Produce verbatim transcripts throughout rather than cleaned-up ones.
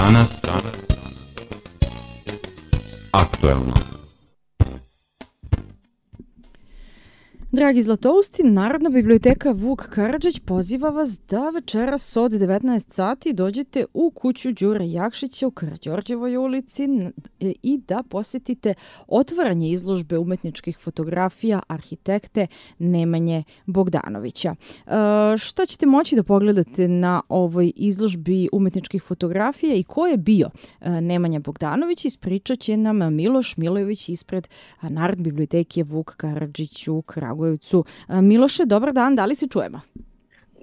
Danas, danas, aktuelno. Dragi Zlatousti, Narodna biblioteka Vuk Karadžić poziva vas da večeras od devetnaest sati dođete u kuću Đure Jakšića u Karađorđevoj ulici i da posjetite otvaranje izložbe umetničkih fotografija arhitekte Nemanje Bogdanovića. E, šta ćete moći da pogledate na ovoj izložbi umetničkih fotografija i ko je bio Nemanja Bogdanović, ispričat će nam Miloš Milojević ispred Narodne biblioteke Vuk Karadžić u Kragujevcu. Miloše, dobar dan, da li se čujemo?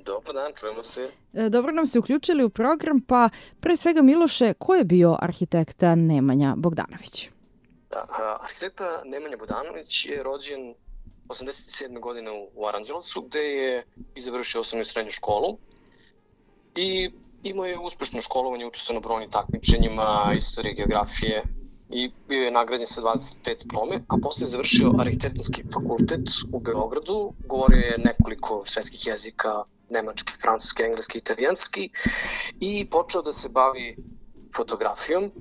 Dobar dan, čujemo se. Dobro nam se uključili u program, pa pre svega Miloše, ko je bio arhitekta Nemanja Bogdanović? Da, arhitekta Nemanja Bogdanović je rođen osamdeset sedme godine u Aranđelovcu, gde je i završio osnovnu i srednju školu i imao je uspešno školovanje, učestvovao na brojnim takmičenjima, istorije, geografije, i bio je nagrađen sa dvadeset pet diplome, a posle je završio arhitektonski fakultet u Beogradu, govorio je nekoliko svetskih jezika, nemački, francuski, engleski, italijanski i počeo da se bavi fotografijom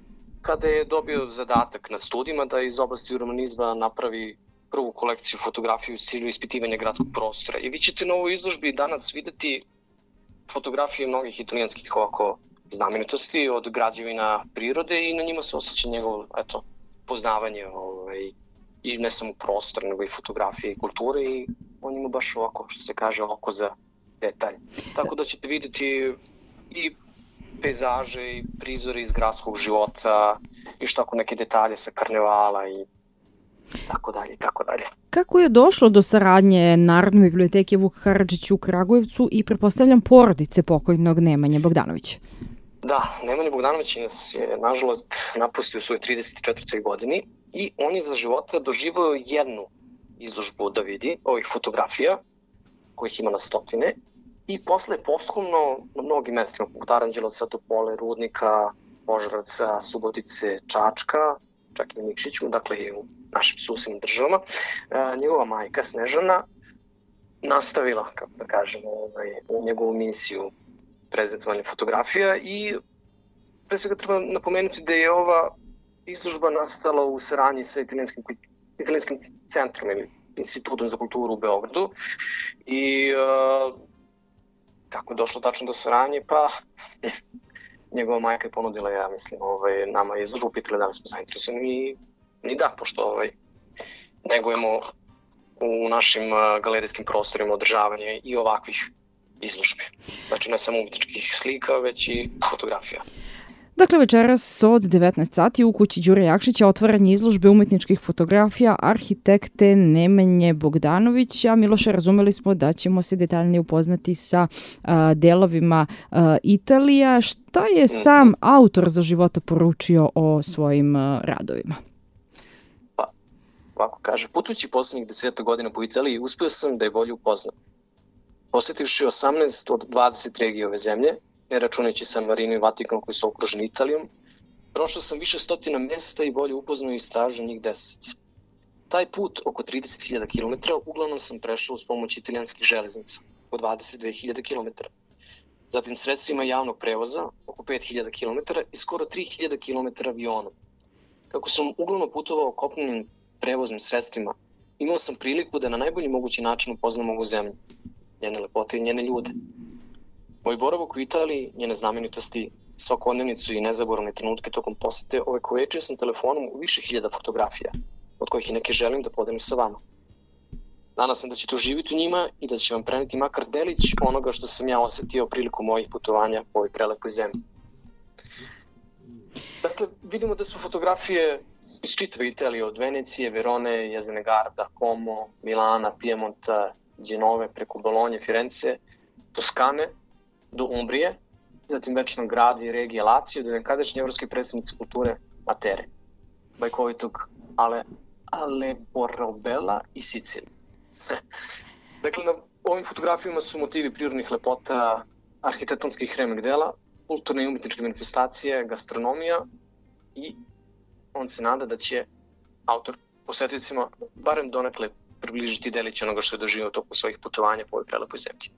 kada je dobio zadatak nad studijima da iz oblasti urbanizma napravi prvu kolekciju fotografije u cilju ispitivanja gradskog prostora. I vi ćete na ovoj izložbi danas videti fotografije mnogih italijanskih ovako znamenitosti od građevina prirode i na njima se osjeća njegovo eto, poznavanje ovaj, i ne samo prostor, nego i fotografije i kulture i on ima baš ovako, što se kaže, oko za detalj. Tako da ćete vidjeti i pejzaže i prizore iz gradskog života i što ako neke detalje sa karnevala i tako dalje, tako dalje. Kako je došlo do saradnje Narodne biblioteke Vuk Karadžić u Kragujevcu i pretpostavljam porodice pokojnog Nemanje Bogdanovića? Da, Nemanja Bogdanović nas je, nažalost, napustio u svojoj trideset četvrtoj godini i on je za života doživao jednu izložbu da vidi ovih fotografija, kojih ima na stotine, i posle posthumno na mnogim mestima, poput Aranđelovca, Topole, Rudnika, Požarevca, Subotice, Čačka, čak i na Nikšiću, dakle i u našim susednim državama, njegova majka Snežana nastavila, kako da kažemo, u njegovu misiju prezentovanje fotografija i pre svega treba napomenuti da je ova izložba nastala u saradnji sa italijanskim, italijanskim centrom ili Institutom za kulturu u Beogradu i uh, kako je došlo tačno do saradnje, pa njegova majka je ponudila, ja mislim, ovaj, nama izložbu, pitali da li smo zainteresovani i ni da, pošto ovaj, negujemo u našim uh, galerijskim prostorima održavanje i ovakvih izložbe. Znači ne samo umetničkih slika, već i fotografija. Dakle, večeras od devetnaest sati u kući Đure Jakšića otvaranje izložbe umetničkih fotografija arhitekte Nemanje Bogdanovića. Miloše, razumeli smo da ćemo se detaljnije upoznati sa a, delovima a, Italija. Šta je sam autor za života poručio o svojim a, radovima? Pa, ovako kaže, putujući poslednjih deseta godina po Italiji, uspio sam da je bolje upoznam. Posjetivši osamnaest od dvadeset regije ove zemlje, ne računajući San Marino i Vatikan koji su okruženi Italijom, prošao sam više stotina mesta i bolje upoznao i istražio njih deset. Taj put, oko trideset hiljada kilometara, uglavnom sam prešao uz pomoć italijanskih železnica, oko dvadeset dve hiljade kilometara. Zatim sredstvima javnog prevoza, oko pet hiljada kilometara i skoro tri hiljade kilometara avionom. Kako sam uglavnom putovao kopnenim prevoznim sredstvima, imao sam priliku da na najbolji mogući način upoznam ovu zemlju, njene lepote i njene ljude. Moj boravak u Italiji, njene znamenitosti, svakodnevnicu i nezaboravne trenutke tokom posete ovekovečio sam telefonom u više hiljada fotografija, od kojih i neke želim da podelim sa vama. Nadam sam da ćete uživiti u njima i da će vam preneti makar delić onoga što sam ja osetio prilikom mojih putovanja po ovoj prelepoj zemlji. Dakle, vidimo da su fotografije iz čitave Italije, od Venecije, Verone, Jezene Garda, Como, Milana, Piemonta, Genove, preko Bolonje, Firence, Toskane, do Umbrije, zatim večnog grada i regije Lazio, do nekadašnje evropske predstavnice kulture Matere, bajkovitog Ale, Ale Borrobella i Sicilije. Dakle, na ovim fotografijama su motivi prirodnih lepota, arhitektonskih remek dela, kulturne i umetničke manifestacije, gastronomija i on se nada da će autor posetiocima barem donekle približiti delić onoga što je doživio tokom svojih putovanja po ovoj prelepoj zemlji.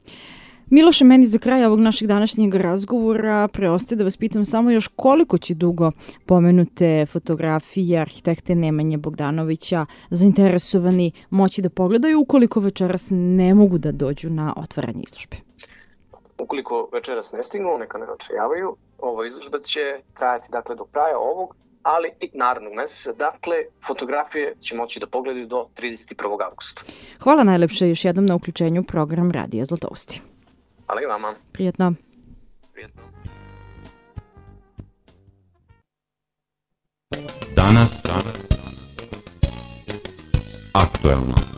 Miloše, meni za kraj ovog našeg današnjeg razgovora preostaje da vas pitam samo još koliko će dugo pomenute fotografije arhitekte Nemanje Bogdanovića zainteresovani moći da pogledaju ukoliko večeras ne mogu da dođu na otvaranje izložbe. Ukoliko večeras ne stignu, neka ne očajavaju. Ova izložba će trajati dakle do kraja ovog, ali i narednog meseca. Dakle, fotografije će moći da pogledaju do trideset prvog avgusta. Hvala najlepše još jednom na uključenju u program Radija Zlatousti. Hvala i vama. Prijetno. Prijetno. Danas, danas, aktuelno.